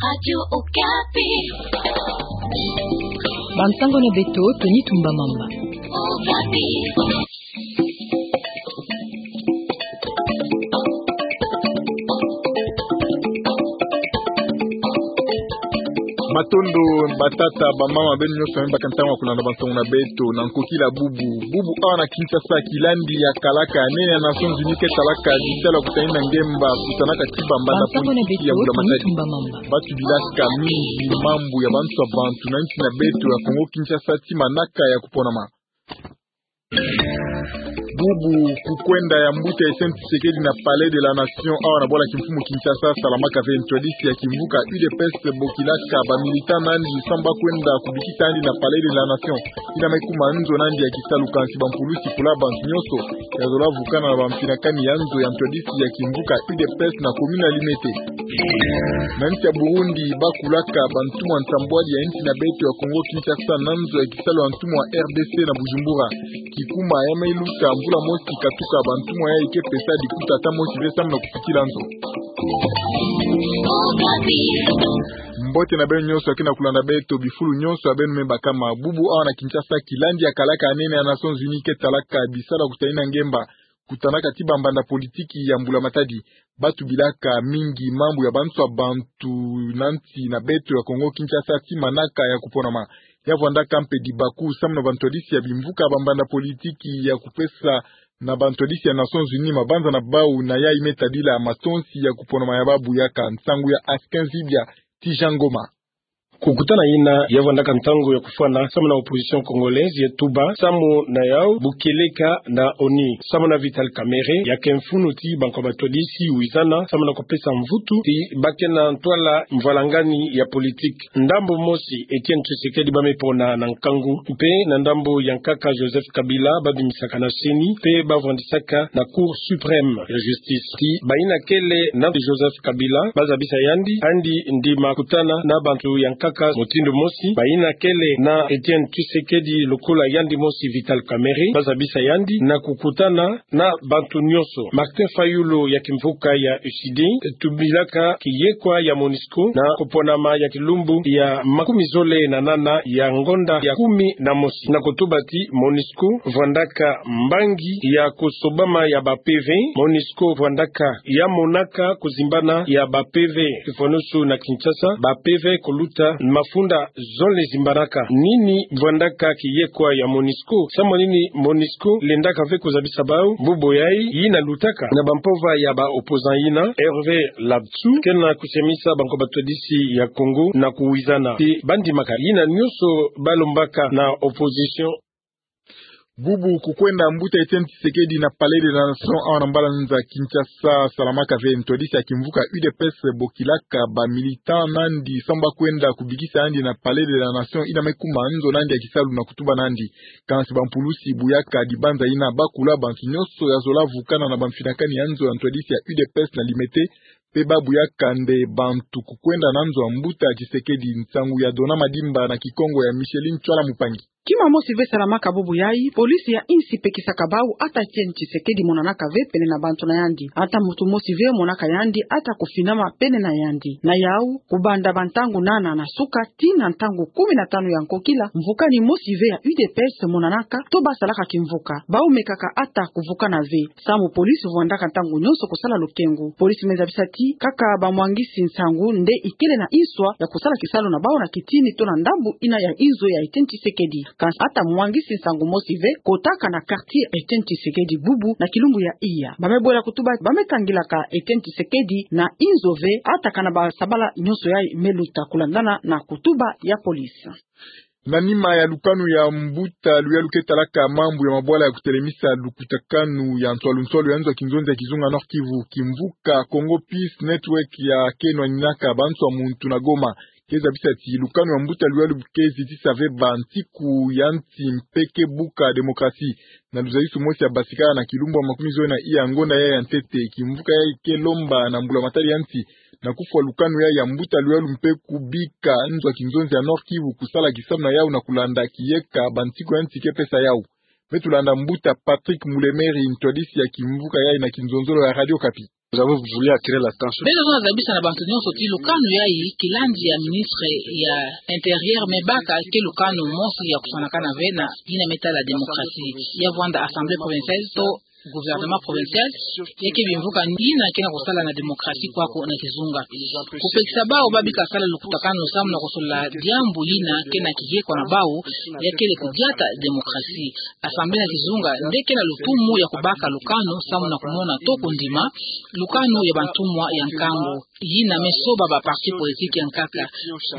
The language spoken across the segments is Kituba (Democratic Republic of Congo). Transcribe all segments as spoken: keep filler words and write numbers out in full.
Radio Okapi. Bansango na beto, Tony Tumba Mamba. Okapi. Matondo, batata, bamama, beno nyonso beno baka ntangu ya kulanda bansango na beto, na nkokila bubu. Bubu awa na Kinshasa, kilandi ya kalaka ya nene ya Nations Unies ke talaka bisalu ya kutanina ngemba, kutanaka ti bambanda politiki ya Mbulamatadi. Batu bilaka mingi mambu ya bantu ya bantu na nsi na beto ya Kongo Kinshasa ti manaka ya kuponama. Bubu kukwenda ya mbuta Etienne Tshisekedi na Palais de la Nation awa na bwala kimfumu Kinshasa, salamaka ve ntwadisi ya kimvuka U D P S bokilaka ba militants na yandi samu ba kwenda kubikisa yandi na Palais de la Nation. Ina me kuma nzo na yandi ya kisalu, kansi bampulusi kula bantu nyonso ya zola vukana na bamfinakani ya nzo ya ntwadisi ya kimvuka U D P S na commune ya Limete. Na nsi ya Burundi, ba kulaka bantumwa nsambwadi ya nsi na beto ya Kongo Kinshasa na nzo ya kisalu ya ntumwa ya R D C na Bujumbura. Kikuma ya me luta mvula mosi katuka, bantumwa yayi ke pesa dikuta ata mosi ve samu na kusikila nzo. Mbote na beno nyonso ya ke na kulanda beto bifulu nyonso ya beno me bakama. Bubu awa na Kinshasa, kilandi ya kalaka ya nene ya Nations Unies ke talaka bisalu ya kutanina ngemba, kutanaka ti bambanda politiki ya Mbulamatadi. Batu bilaka mingi mambu ya bantu ya bantu na nsi na beto ya Kongo Kinshasa ti manaka ya kuponama. Ya vwandaka mpe dibaku samu na bantwadisi ya bimvuka bambanda politiki ya kupesa na bantwadisi ya Nations Unies mabanza na bau, na yayi me tadila matonsi ya kuponama ya babu. Yaka nsangu ya Askin Zibia ti Jean Ngoma. Kukutana yina ya vwandaka ntangu ya kufwana samu na opposition congolaise ya tuba samu na yau bu kieleka na ONU. Samu na Vital Kamerhe, ya ke mfunu ti bankwa batwadisi wizana samu na kupesa mvutu ti ba ke na ntwala mvwalangani ya politiki. Ndambu mosi, Etienne Tshisekedi ba me pona na nkangu, mpe na ndambu ya nkaka Joseph Kabila ba bimisaka na CENI, mpe ba vwandisaka na Cour suprême ya justice. Ti bayina kele na Joseph Kabila, ba zabisa yandi, yandi ndima kutana na bantu ya nkaka mutindu mosi. Bayina kele na Etienne Tshisekedi lokola yandi mosi Vital Kamerhe, ba zabisa yandi na kukutana na bantu nyonso. Martin Fayulu ya kimvuka ya U C D tubilaka kiyekwa ya MONUSCO na kuponama ya kilumbu ya makumi zole na nana ya ngonda ya kumi na mosi, na kutuba ti MONUSCO vwandaka mbangi ya kusobama ya ba P V. MONUSCO vwandaka ya monaka kuzimbana ya ba P V. Kifwanusu na Kinshasa, ba P V kuluta mafunda zole zimbanaka. Nini vwandaka kiyekwa ya MONUSCO? Samu nini MONUSCO lendaka ve kuzabisa bau? Bubu yayi yina lutaka na bampova ya ba opposants yina, Hervé Ladsou, ke na kusemisa bankwa batwadisi ya Congo na kuwizana ti ba ndimaka yina nyonso ba lombaka na opposition. Bubu kukwenda mbuta Etienne Tshisekedi na Palais de la Nation awa na mbalani za Kinshasa, salamaka ve ntwadisi ya kimvuka U D P S bokilaka ba militants na yandi samu ba kwenda kubikisa yandi na Palais de la Nation, yina me kuma nzo na yandi ya kisalu na kutuba na yandi. Kansi bampulusi buyaka dibanza yina, ba kula bantu nyonso ya zola vukana na bamfinakani ya nzo ya ntwadisi ya U D P S na Limete, mpe ba buyaka nde bantu kukwenda na nzo ya mbuta Tshisekedi. Nsangu ya Dona Madimba na Kikongo ya Micheline Tswala Mupangi. Kima mosi ve salamaka bubu yayi, police ya insi pekisaka bau ata Etienne Tshisekedi monanaka ve pene na bantu na yandi. Ata muntu mosi ve monaka yandi ata kufinama pene na yandi. Na yau, kubanda bantangu nana na suka tii na ntangu kumi na tanu ya nkokila, mvukani mosi ve ya U D P S monanaka to ba salaka kimvuka. Bau mekaka ata kuvukana ve. Samu police vwandaka ntangu nyonso kusala lukengu. Police me zabisa ti kaka bamwangisi nsangu nde ikele na inswa ya kusala kisalu na bau na kitini to na ndambu yina ya inzo ya Etienne Tshisekedi. Kansi ata mwangisi nsangu mosi ve kotaka na quartier Etienne Tshisekedi bubu na kilumbu ya iya. Ba me bwela kutuba ba me kangilaka Etienne Tshisekedi na inzo ve, ata kana ba sabala nyonso yayi me luta, kulandana na kutuba ya police. Na nima ya lukanu ya mbuta luyalu ke talaka mambu ya mabwala ya kutelemisa lukutakanu ya nswalu nswalu ya nzo ya kinzonzi ya kizunga Nord-Kivu, kimvuka Congo Peace Network ya ke nwaninaka ba nzo ya muntu na Goma, ke zabisa ti lukanu ya mbuta luyalu ke zitisa ve ba ntiku ya nsi mpe ke buka démocratie. Na luzayisu mosi ya basikala na kilumbu ya makumi zole na iya ngonda yayi ya ntete, kimvuka yayi ke lomba na mbulamatari ya nsi na kufwa lukanu yayi ya mbuta luyalu mpe kubika nzo ya kinzonzi ya Nord-Kivu kusala kisalu na yau na kulanda kiyeka ba ntiku ya nsi ke pesa yau. Me tulanda mbuta Patrick Mulemeri, ntwadisi ya kimvuka yayi na kinzonzolo ya Radio Okapi. Vous avez voulu attirer l'attention. Beto tozabisa na bantu nyonso ti lukanu yayi, kilandi ya ministre ya Intérieur me baka, ke lukanu mosi ya kufwanakana ve na yina me tala démocratie. Ya vwanda Assemblée provinciale to gouvernement provincial, ya ke bimvuka yina ke na kusala na démocratie kwaku na kizunga. Kupekisa bawu ba bika sala lukutakanu samu na kusolola diambu yina ke na kiyekwa na bawu, ya kele kudiata démocratie. Assemblée na kizunga nde ke na lutumu ya kubaka lukanu samu na kumona to kundima lukanu ya bantumwa ya nkangu. Yina me soba ba parti politique ya nkaka.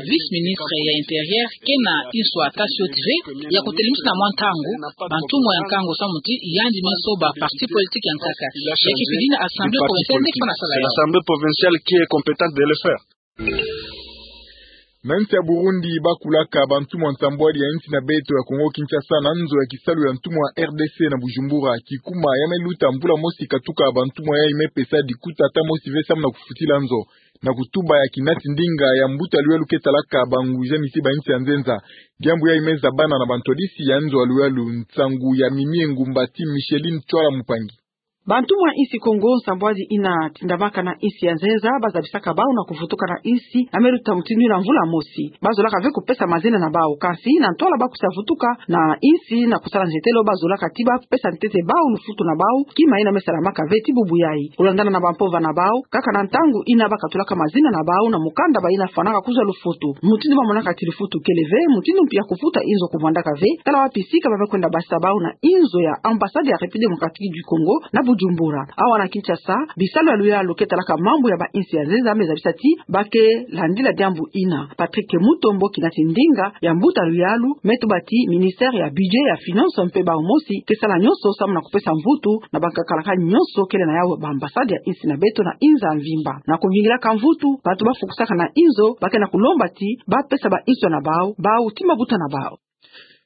Vice-ministre ya Intérieur ke na insu ata sioti ve ya kutelemisa na mwa ntangu bantumwa ya nkangu samu ti yandi me soba parti politique ya nkaka. Ya ke fidina Assemblée provinciale nde ke fana sala yawu. L'Assemblée provinciale qui est compétente de le faire. Na nsi ya Burundi, ba kulaka bantumwa nsambwadi ya nsi na beto ya Kongo Kinshasa na nzo ya kisalu ya ntumwa R D C na Bujumbura. Kikuma ya me luta mvula mosi katuka, bantumwa yayi me pesa dikuta ata mosi ve samu na kufutila nzo, na kutuba ya kinati ndinga ya mbuta luyalu ke talaka banguza miti ba nsi ya nzenza. Diambu yayi me zabana na bantwadisi ya nzo ya luyalu. Nsangu ya Mimie Ngumba ti Micheline Twala Mupangi. Bantumwa nsi Kongo nsambwadi yina tindamaka na nsi ya nzenza, ba zabisaka bawu na kuvutuka na nsi na me luta mutindu yina mvula mosi. Ba zolaka ve kupesa mazina na bawu, kasi na ntwala ba kusa vutuka na nsi na kusala nzietelo, ba zolaka ti ba pesa ntete bawu lufutu na bawu, kima yina me salamaka ve ti bubu yayi. Kulandana na bampova na bawu, kaka na ntangu yina ba katulaka mazina na bawu na mukanda, bayina fwanaka kuzwa lufutu. Mutindu ba monaka ti lufutu kele ve, mutindu mpi ya kufuta inzo kumwandaka ve, tala wapi sika ba me kwenda basa bawu na inzo ya ambassade ya République Démocratique du Congo na Bujumbura. Awa na Kinshasa, bisalu ya luyalu ke talaka mambu ya ba nsi ya nzenza me zabisa ti ba ke landila diambu yina. Patrick Mutombo, kinati ndinga ya mbuta luyalu, me tuba ti ministère ya budget, ya finance mpe bawu mosi ke sala nyonso samu na kupesa mvutu na bankakalaka nyonso kele na yawu ba ambassade ya nsi na beto na nza mvimba. Na kuvingilaka mvutu, bantu ba fukusaka na inzo ba ke na kulomba ti ba pesa ba inzo na bawu, bawu ti mabuta na bawu.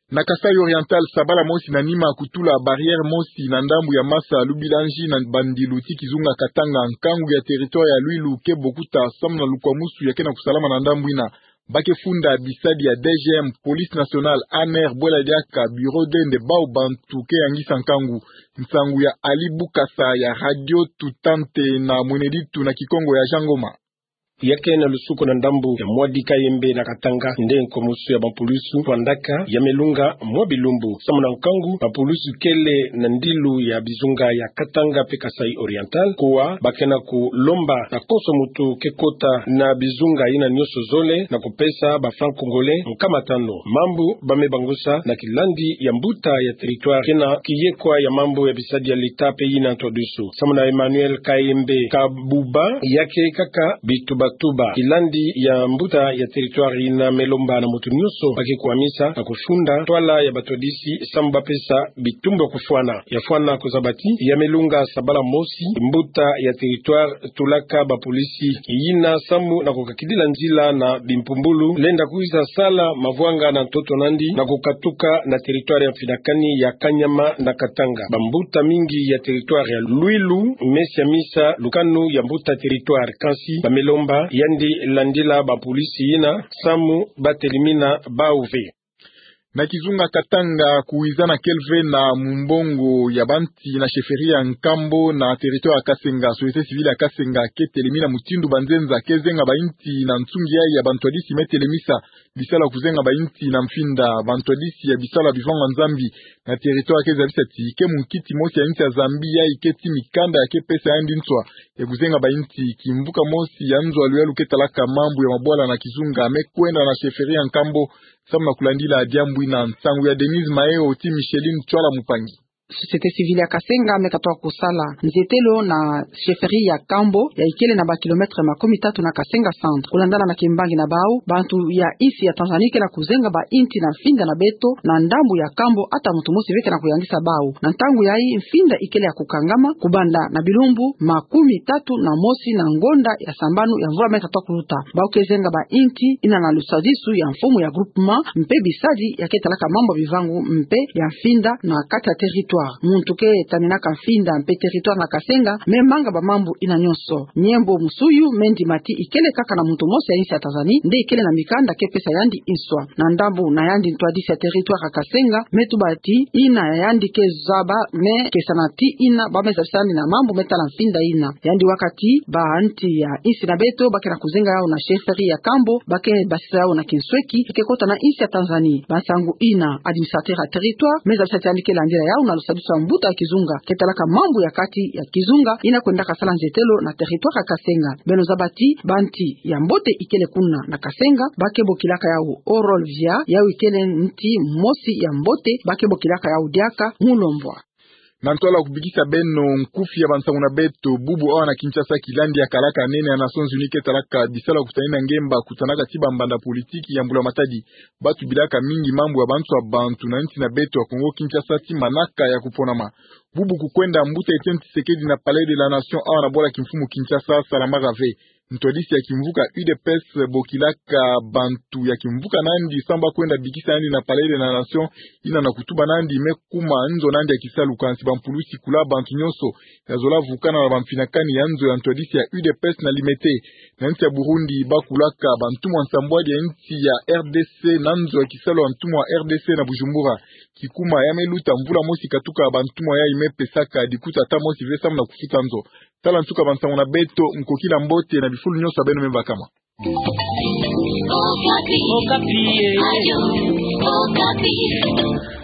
Na Kasaï Oriental, sabala mosi na nima kutula barrière mosi na ndambu ya masa Lubilanji na bandilu ti kizunga Katanga, nkangu ya territoire ya Luilu ke bokuta samu na lukwamusu ya ke na kusalama na ndambu yina. Ba ke funda bisadi ya D G M, Police Nationale, A N R, bwela diaka bureau d'aide bawu bantu ke yangisa nkangu. Nsangu ya Ali Bukasa ya Radio Tutante na Mweneditu na Kikongo ya Jean Ngoma. Ya ke na lusuku na ndambu ya Mwadi Kayembe na Katanga nde nkwamusu ya bampulusu fwandaka, ya me lunga mwa bilumbu. Samu na nkangu, bampulusu kele na ndilu ya bizunga ya Katanga mpe Kasaï Oriental, kuwa ba ke na kulomba na konso muntu ke kota na bizunga yina nyonso zole na kupesa ba francs congolais nkama tanu. Mambu ba me bangusa na kilandi ya mbuta ya territoire ke na kiyekwa ya mambu ya bisadi ya l'État mpe yina ntwadusu. Samu na Emmanuel Kayembe Kabuba, ya ke kaka bitubatuba. Kilandi ya mbuta ya territoire yina me lomba na muntu nyonso ba ke kwamisa na kufunda ntwala ya batwadisi samu ba pesa bitumbu ya kufwana. Ya fwana kuzaba ti ya me lunga sabala mosi mbuta ya territoire tulaka bapolisi yina samu na kukakidila nzila na bimpumbulu, lenda kwiza sala mavwanga na ntoto nandi na kukatuka na territoire ya mfinakani ya Kanyama na Katanga. Bambuta mingi ya territoire ya Luilu me siamisa lukanu ya mbuta territoire, kansi ba me lomba yandi landila bapolisi yina samu ba telimina bawu ve. Na kizunga Katanga, kuwiza na kele ve na mumbongo ya banti na chefferie ya Nkambo na territoire ya Kasenga, société civile ya Kasenga ke telemina mutindu banzenza ke zenga bainti na nsungi yayi ya bantwadisi me telemisa bisalu ya kuzenga bainti na mfinda. Bantwadisi ya bisalu ya bivanga Nzambi na territoire ke zabisa ti ke munkiti mosi ya insi ya Zambie yayi ke ti mikanda ya ke pesa yandi nswa ya kuzenga bainti. Kimvuka mosi ya nzo ya luyalu ke talaka mambu ya mabwala na kizunga me kwenda na chefferie ya Nkambo samu na kulandila diambu yina. Nsangu ya Denise Maeo ti Micheline Twala Mupangi. Société civile ya Kasenga me katoka kusala nzietelo na chefferie ya Nkambo, ya ikele na ba kilomètre makumi tatu na Kasenga centre. Kulandana na kimbangi na bawu, bantu ya insi ya Tanzanie ke na kuzenga bainti na mfinda na beto na ndambu ya Nkambo, ata muntu mosi ve ke na kuyangisa bawu. Na ntangu yayi mfinda ikele ya kukangama kubanda na bilumbu makumi tatu na mosi na ngonda ya sambanu ya mvula me katoka kuluta. Bawu ke zenga bainti yina na lusadisu ya mfumu ya groupement mpe bisadi ya ke talaka mambu ya bivangu mpe ya mfinda na kati ya territoire. territoire. Muntu ke taninaka mfinda mpe territoire na Kasenga me manga bamambu ina nyonso. Nyembo musuyu me ndima ti ikele kaka na muntu mosi ya insi ya Tanzanie nde ikele na mikanda ke pesa yandi nswa. Na ndambu na yandi, ntwadisi ya territoire ya Kasenga me tuba ti ina ya yandi ke zaba me kesana ti ina ba me zabisa yandi na mambu me tala mfinda ina. Yandi waka ti banti ya insi na beto ba ke na kuzenga yau na chefferie ya Kambo, ba ke basisa yau na kinsweki, ke kota na insi ya Tanzanie. Ba nsangu ina, administrateur ya territoire me zabisa ti yandi ke landila yau na lusadisu ya mbuta ya kizunga ke talaka mambu ya kati ya kizunga ina kwendaka sala nzietelo na territoire ya Kasenga. Beno zaba ti banti ya mbote ikele kuna na Kasenga ba ke bokilaka yau Orol Via, yau ikele nti mosi ya mbote ba ke bokilaka yau diaka Mulombwa. Na ntwala kubikisa beno nkufi ya bansangu na beto, bubu awa na Kinshasa kilandi ya kalaka nene ya Nations Unies ke talaka bisalu ya kutanina ngemba kutanaka ti bambanda politiki ya mbula matadi ba tubilaka mingi mambu ya banso ya bantu na nsi na beto ya Congo Kinshasa ti manaka ya kuponama. Bubu kukwenda mbuta Etienne Tshisekedi na Palais de la Nation awa na bwala kimfumu Kinshasa, salamaka ve. Ntwadisi ya kimvuka U D P S bokilaka bantu ya kimvuka nandi samu ba kwenda bikisa nandi na Palais de la Nation, ina na kutuba nandi me kuma nzo nandi ya kisalu, kansi bampulusi kula bantu nyonso ya zola vukana na bamfinakani ya nzo ya ntwadisi ya U D P S na Limete. Na nsi ya Burundi ba kulaka bantumwa nsambwadi ya nsi ya R D C na nzo ya kisalu ya ntumwa R D C na Bujumbura. Kikuma ya me luta mvula mosi katuka bantumwa yayi me pesaka dikuta ata mosi ve samu na kufuta nzo. Tala nsuka bansangu na beto, nkokila mbote na bifulu nyonso ya beno me bakama. Okapi. Okapi, eh. Radio Okapi.